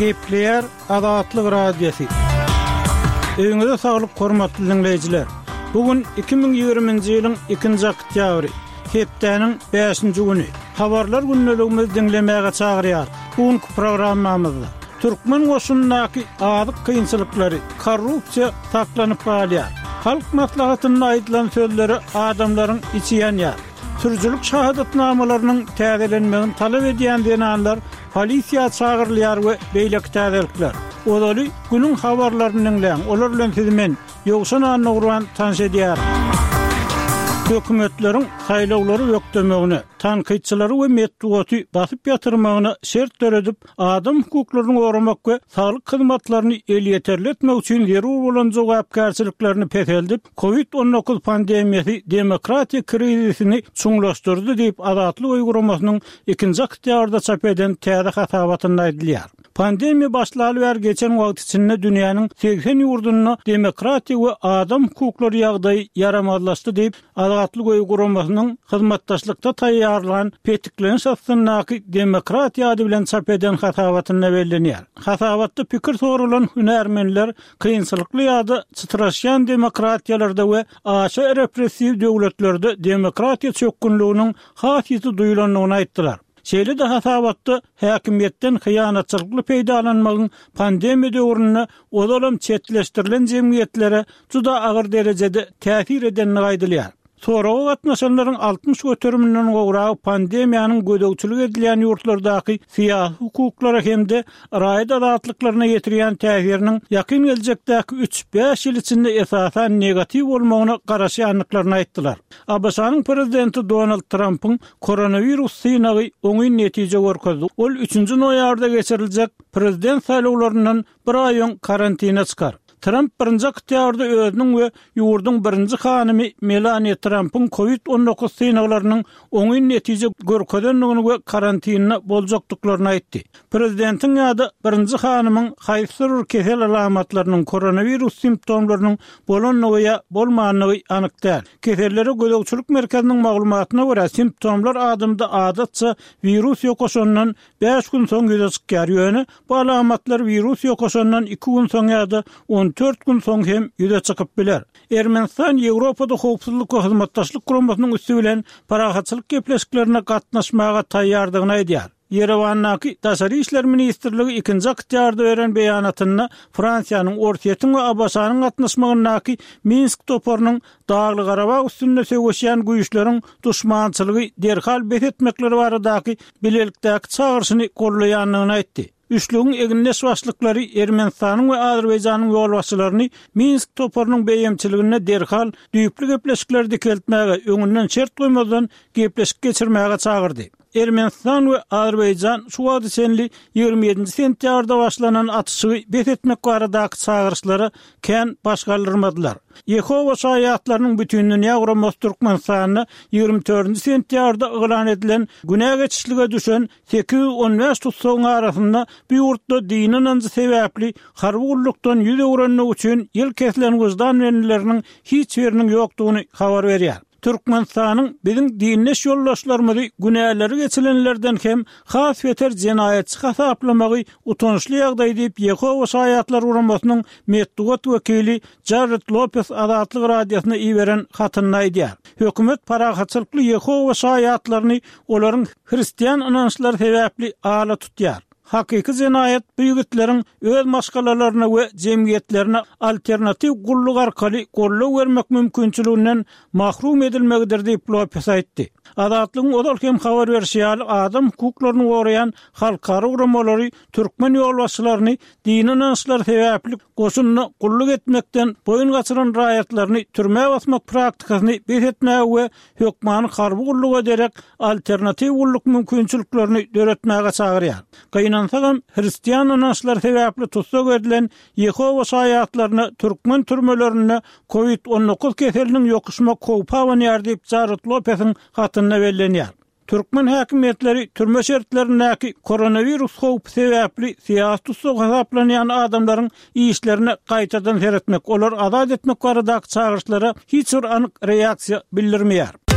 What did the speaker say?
Gepleýär Azatlyk Radiosy. Öýüňize saglyk hormatly diňleýjiler. Bu gün 2020-nji ýylyň 2-nji oktýabry, hepdäniň 5-nji güni. Habarlar gündeligimizi diňlemäge çagyrýar. Bu günki programmamyzda türkmen goşunyndaky azyk kynçylyklary, korrupsiýa saklanyp galýar. Halk maslahatynda aýdylan sözlere adamlaryň içi ýanýar. Sürüjilik şahadatnamalarynyň täzelenmegini talap edýän zenanlar polisiýa çagyrylýar we beýleki täzelikler. Ozaly günüň habarlaryny diňläň, olar bilen sizi men, Ýowşan Annagurban tanyş edýärin. Hökümetleriň saýlawlary bökdemegine, tankytçylary we metbugaty basyp ýatyrmagyna şert döredip, adam hukuklaryny goramak we saglyk hyzmatlaryny elýeterli etmek üçin zerur bolan jogapkärçiliklerini peseldip, Covid 19 pandemiýasy demokratiýa krizisini çuňlaşdyrdy diýip, Azatlyk öýi guramasynyň ikinji oktýabrda çap eden täze hasabatynda aýdylýar. Pandemiýa başlaly bäri geçen wagt içinde dünýäniň 80 ýurdunda demokratiýa we adam hukuklary ýagdaýy ýaramazlaşdy diýip, Azatlyk öýi guramasynyň hyzmatdaşlykda taýýarlan Petikleniş astyndaky demokratiýa ady bilen çap eden hasabatynda bellenýär. Hasabatda pikir soralan hünärmenler kynçylykly ýa-da çytraşýan demokratiýalarda we aşa repressiw döwletlerde demokratiýa çökgünliginiň has ýiti duýulandygyny aýtdylar. Şeýle-de hasabatda häkimiýetden hyýanatçylykly peýdalanmagyň pandemiýa döwründe ozalam çetleşdirilen jemgyýetlere juda agyr derejede täsir edendigi aýdylýar. Soraga gatnaşanlaryň 60 göteriminden gowragy pandemiýanyň gözegçilik edilýän ýurtlardaky syýasy hukuklara hem-de raýat azatlyklaryna ýetirýän täsiriniň ýakyn geljekdäki üç-bäş ýyl içinde esasan negatiw bolmagyna garaşýandyklaryny aýtdylar. ABŞ-nyň prezidenti Donald Trampyň koronawirus synagy oňyn netije görkezdi. Ol üçünji noýabrda geçiriljek prezident saýlawlaryndan bir aý öň karantine çykar. Tramp birinji oktýabrda özüniň we ýurduň birinji hanymy Melaniýa Trampyň Covid 19 synaglarynyň oňyn netije görkezendigini we karantinde boljakdyklaryny aýtdy. Prezidentiň ýa-da birinji hanymyň haýsydyr bir kesel alamatlarynyň, koronawirus simptomlarynyň bolandygy ýa bolmandygy anyk däl. Kesellere gözegçilik merkeziniň maglumatyna görä, simptomlar adamda adatça wirus ýokaşandan Bäş gün soň ýüze çykýar, ýöne bu alamatlar wirus ýokaşandan iki gün soň ýa-da 14 gün soň hem ýüze çykyp biler. Ermenistan Ýewropada Howpsuzlyk we Hyzmatdaşlyk Guramasynyň üsti bilen parahatçylyk gepleşiklerine gatnaşmaga taýýardygyny aýdýar. Ýerewandaky Daşary işler ministrligi ikinji oktýabrda beren beýanatynda Fransiýanyň, Orsýetiň we ABŞ-nyň gatnaşmagyndaky Minsk toparynyň Dagly-Garabag üstünde söweşýän güýçleriň duşmançylygy derhal bes etmekleri baradaky bilelikdäki çagyryşyny goldaýandygyny aýtdy. Üçlügiň egindeş başlyklary Ermenistanyň we Azerbaýjanyň ýolbaşçylaryny Minsk toparynyň beýemçiliginde derhal düýpli gepleşikleri dikeltmäge, öňünden şert goýmazdan gepleşik geçirmäge çagyrdy. Ermenistan we Azerbaýjan şu wagta çenli 27-nji sentýabrda başlanan atyşygy bes etmek baradaky çagyryşlara kän baş galdyrmadylar. Ýehowa şaýatlarynyň Bütindünýä guramasy Türkmenistanda 24-nji sentýabrda yglan edilen günä geçişlige düşen 815 tussagyň arasynda bu ýurtda dini ynanjy sebäpli harby gullukdan ýüz öwrendigi üçin ýyl kesilen wyždan bendileriniň hiç biriniň ýokdugyny habar berýär. Türkmenistanyň biziň dindeş ýoldaşlarymyzy günäleri geçilenlerden hem has beter jenaýatçy hasaplamagy utançly ýagdaý diýip, Ýehowa Şaýatlary guramasynyň metbugat wekili Jarred Lopes Azatlyk Radiosyna iberen hatynda aýdýar. Hökümet parahatçylykly Ýehowa Şaýatlaryny olaryň hristian ynançlary sebäpli ala tutýar. Hakyky jenaýat bu ýigitleriň öz maşgalalaryna we jemgyýetlerine alternatiw gulluk arkaly goldaw bermek mümkinçiliginden mahrum edilmegidir diýip, Lopes aýtdy. Azatlygyň ozal hem habar berşi ýaly, adam hukuklaryny goraýan halkara guramalary türkmen ýolbaşçylaryny dini ynançlary sebäpli goşunda gulluk etmekden boýun gaçyran raýatlaryny türmä basmak praktikasyny bes etmäge we hökmany harby gulluga derek alternatiw gulluk mümkinçiliklerini döretmäge çagyrýar. Gynansagam, hristian ynançlary sebäpli tussag edilen Ýehowa şaýatlaryna türkmen türmelerinde Covid 19 keseliniň ýokuşmak howpy abanýar diýip, Jared Lopesiň hatynda bellenýär. Türkmen häkimiýetleri türme şertlerindäki koronawirus howpy sebäpli syýasy tussag hasaplanýan adamlaryň işlerine gaýtadan seretmek, olary azat etmek baradaky çagyryşlara hiç bir anyk reaksiýa bildirmeýär.